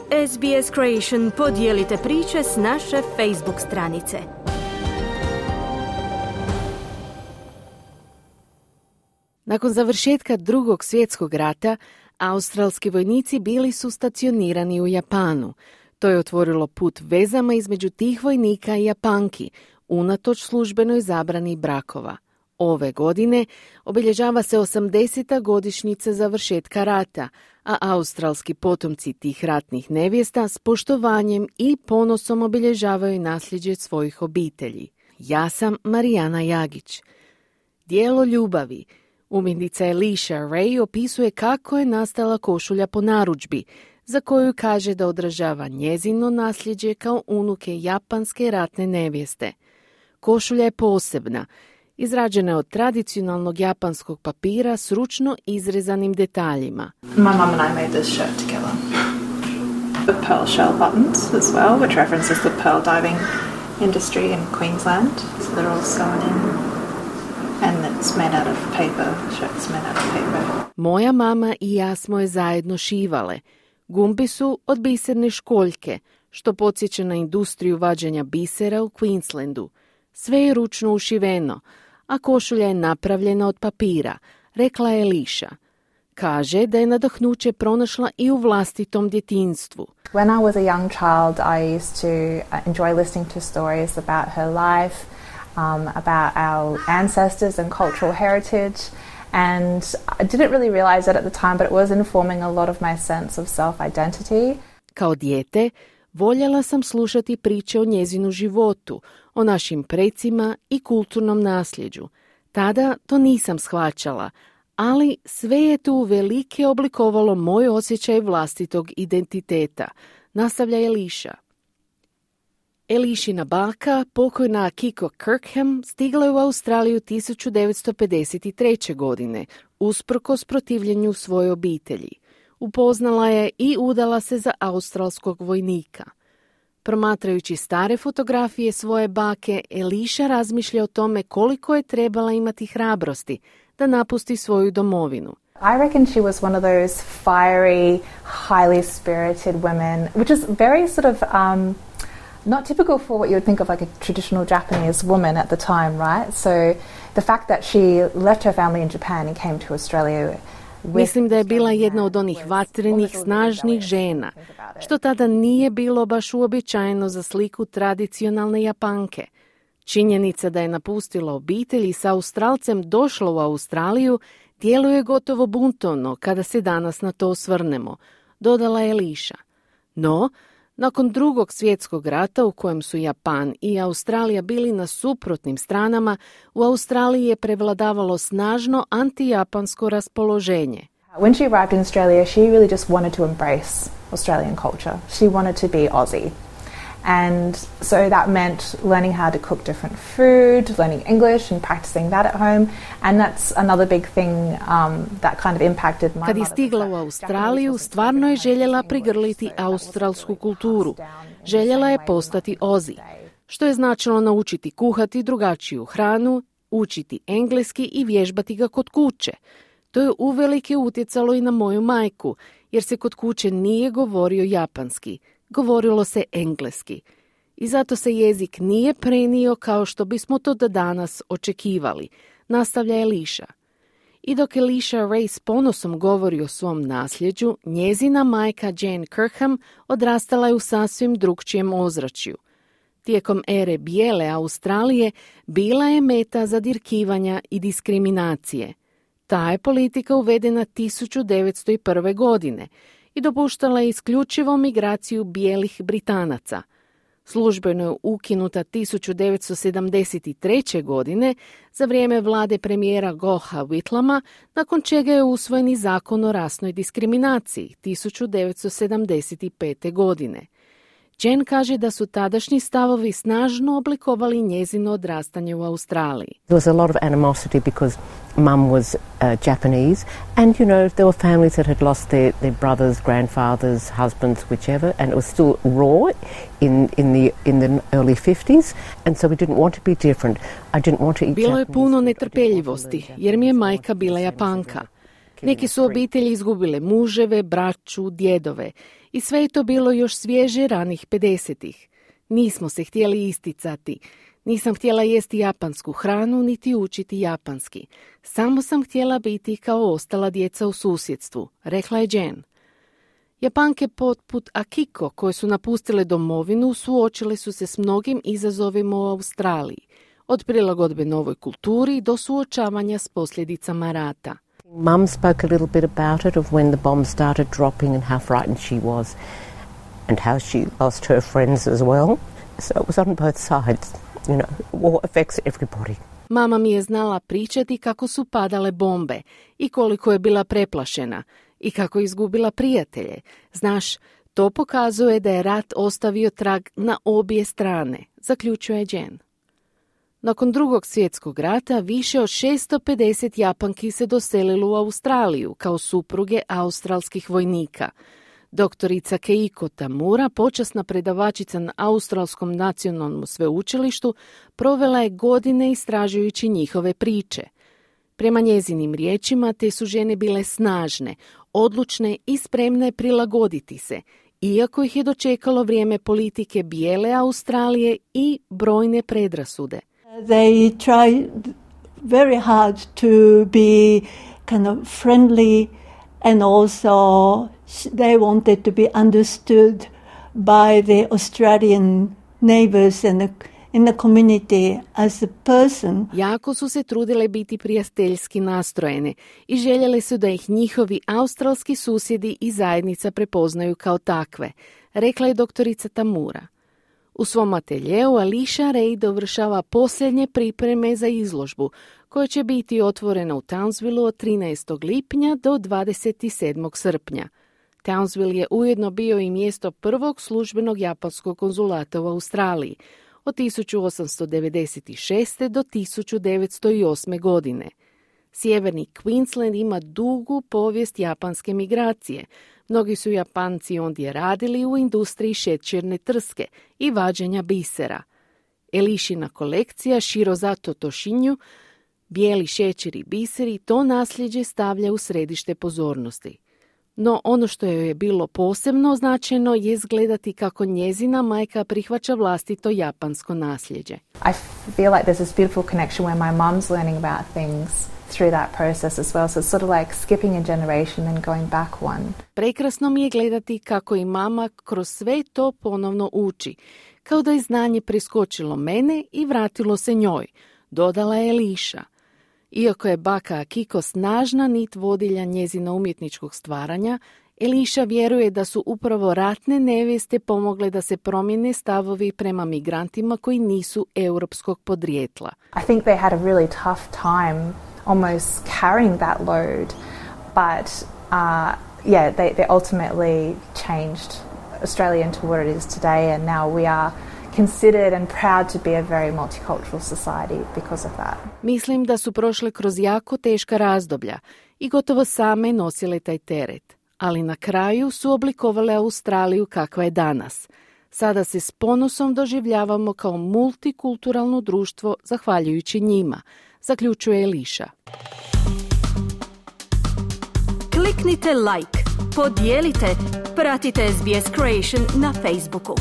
SBS Creation, podijelite priče s naše Facebook stranice. Nakon završetka Drugog svjetskog rata, australski vojnici bili su stacionirani u Japanu. To je otvorilo put vezama između tih vojnika i Japanki, unatoč službenoj zabrani brakova. Ove godine obilježava se 80. godišnjica završetka rata, a australski potomci tih ratnih nevjesta s poštovanjem i ponosom obilježavaju nasljeđe svojih obitelji. Ja sam Marijana Jagić. Dijelo ljubavi. Umjetnica Alicia Ray opisuje kako je nastala košulja po narudžbi, za koju kaže da odražava njezino nasljeđe kao unuke japanske ratne nevjeste. Košulja je posebna. Izrađena je od tradicionalnog japanskog papira s ručno izrezanim detaljima. My mum and I made this shirt together. The pearl shell buttons as well, which references the pearl diving industry in Queensland. So they're all sewn in. And it's made out of paper. The shirt's made out of paper. Moja mama i ja smo je zajedno šivale. Gumbi su od biserne školjke, što podsjeća na industriju vađenja bisera u Queenslandu. Sve je ručno ušiveno, a košulja je napravljena od papira, rekla je Alicia. Kaže da je nadahnuće pronašla i u vlastitom djetinjstvu. When I was a young child, I used to enjoy listening to stories about her life, about our ancestors and cultural heritage. And I didn't really realize it at the time, but it was informing a lot of my sense of self-identity. Kao dijete, voljela sam slušati priče o njezinu životu, o našim precima i kulturnom nasljeđu. Tada to nisam shvaćala, ali sve je tu velike oblikovalo moj osjećaj vlastitog identiteta, nastavlja Alicia. Aliciina baka, pokojna Kiko Kirkham, stigla je u Australiju 1953. godine, usprkos protivljenju svoje obitelji. Upoznala je i udala se za australskog vojnika. Promatrajući stare fotografije svoje bake, Alicia razmišlja o tome koliko je trebala imati hrabrosti da napusti svoju domovinu. I reckon she was one of those fiery, highly spirited women, which is very sort of not typical for what you would think of like a traditional Japanese woman at the time, right? So the fact that she left her family in Japan and came to Australia. Mislim da je bila jedna od onih vatrenih, snažnih žena, što tada nije bilo baš uobičajeno za sliku tradicionalne Japanke. Činjenica da je napustila obitelj i sa Australcem došla u Australiju djeluje gotovo buntovno kada se danas na to osvrnemo, dodala je Alicia. No, nakon Drugog svjetskog rata u kojem su Japan i Australija bili na suprotnim stranama, u Australiji je prevladavalo snažno antijapansko raspoloženje. When she arrived in Australia, she really just wanted to embrace Australian culture. She wanted to be Aussie. And so that meant learning how to cook different food, learning English and practicing that at home. And that's another big thing that kind of impacted my mother. Kad je stigla u Australiju, stvarno je željela prigrliti australsku kulturu. Željela je postati Aussie, što je značilo naučiti kuhati drugačiju hranu, učiti engleski i vježbati ga kod kuće. To je uvelike utjecalo i na moju majku, jer se kod kuće nije govorio japanski. Govorilo se engleski. I zato se jezik nije prenio kao što bismo to do danas očekivali, nastavlja Alicia. I dok Alicia Ray s ponosom govori o svom nasljeđu, njezina majka Jane Kirkham odrastala je u sasvim drukčijem ozračju. Tijekom ere bijele Australije bila je meta zadirkivanja i diskriminacije. Ta je politika uvedena 1901. godine i dopuštala je isključivo migraciju bijelih Britanaca. Službeno je ukinuta 1973. godine za vrijeme vlade premijera Gougha Whitlama, nakon čega je usvojen i zakon o rasnoj diskriminaciji 1975. godine. Jen kaže da su tadašnji stavovi snažno oblikovali njezino odrastanje u Australiji. There was a lot of animosity because mum was Japanese and there were families that had lost their brothers, grandfathers, husbands, whichever, and it was still raw in the early 50s, and so we didn't want to be different. I didn't want to eat Bilo je Japanese puno food. netrpeljivosti jer mi je majka bila Japanka. Neki su obitelji izgubile muževe, braću, djedove i sve je to bilo još svježe ranih 50-ih. Nismo se htjeli isticati. Nisam htjela jesti japansku hranu niti učiti japanski. Samo sam htjela biti kao ostala djeca u susjedstvu, rekla je Jen. Japanke poput Akiko, koje su napustile domovinu, suočile su se s mnogim izazovima u Australiji, od prilagodbe novoj kulturi do suočavanja s posljedicama rata. Mum spoke a little bit about it, of when the bombs started dropping and how frightened she was and how she lost her friends as well. So it was on both sides. You know, war affects everybody. Mama mi je znala pričati kako su padale bombe i koliko je bila preplašena i kako je izgubila prijatelje. Znaš, to pokazuje da je rat ostavio trag na obje strane, zaključuje Jen. Nakon Drugog svjetskog rata više od 650 Japanki se doselilo u Australiju kao supruge australskih vojnika. Doktorica Keiko Tamura, počasna predavačica na Australskom nacionalnom sveučilištu, provela je godine istražujući njihove priče. Prema njezinim riječima, te su žene bile snažne, odlučne i spremne prilagoditi se, iako ih je dočekalo vrijeme politike bijele Australije i brojne predrasude. They try very hard to be kind of friendly, and also they wanted to be understood by the Australian neighbors and in the community as a person. Jako su se trudile biti prijateljski nastrojene i željele su da ih njihovi australski susjedi i zajednica prepoznaju kao takve, rekla je doktorica Tamura. U svom ateljeu Alicia Ray dovršava posljednje pripreme za izložbu, koja će biti otvorena u Townsvilleu od 13. lipnja do 27. srpnja. Townsville je ujedno bio i mjesto prvog službenog japanskog konzulata u Australiji od 1896. do 1908. godine. Sjeverni Queensland ima dugu povijest japanske migracije. Mnogi su Japanci ondje radili u industriji šećerne trske i vađenja bisera. Elišina kolekcija Shirozato Toshinju, bijeli šećer i biseri, to nasljeđe stavlja u središte pozornosti. No ono što joj je bilo posebno značajno je gledati kako njezina majka prihvaća vlastito japansko nasljeđe. I feel like there's this beautiful connection where my mum's learning about things through that process as well. So it's sort of like skipping a generation and going back one. Prekrasno mi je gledati kako i mama kroz sve to ponovno uči, kao da je znanje preskočilo mene i vratilo se njoj, dodala je Eliša. Iako je baka Akiko snažna nit vodilja njezina umjetničkog stvaranja, Eliša vjeruje da su upravo ratne nevjeste pomogle da se promijene stavovi prema migrantima koji nisu europskog podrijetla. I think they had a really tough time almost carrying that load, but they ultimately changed Australia into what it is today, and now we are considered and proud to be a very multicultural society because of that. Mislim da su prošle kroz jako teška razdoblja i gotovo same nosile taj teret, ali na kraju su oblikovale Australiju kakva je danas. Sada se s ponosom doživljavamo kao multikulturalno društvo zahvaljujući njima, zaključuje Eliša. Kliknite like, podijelite, pratite SBS Creation na Facebooku.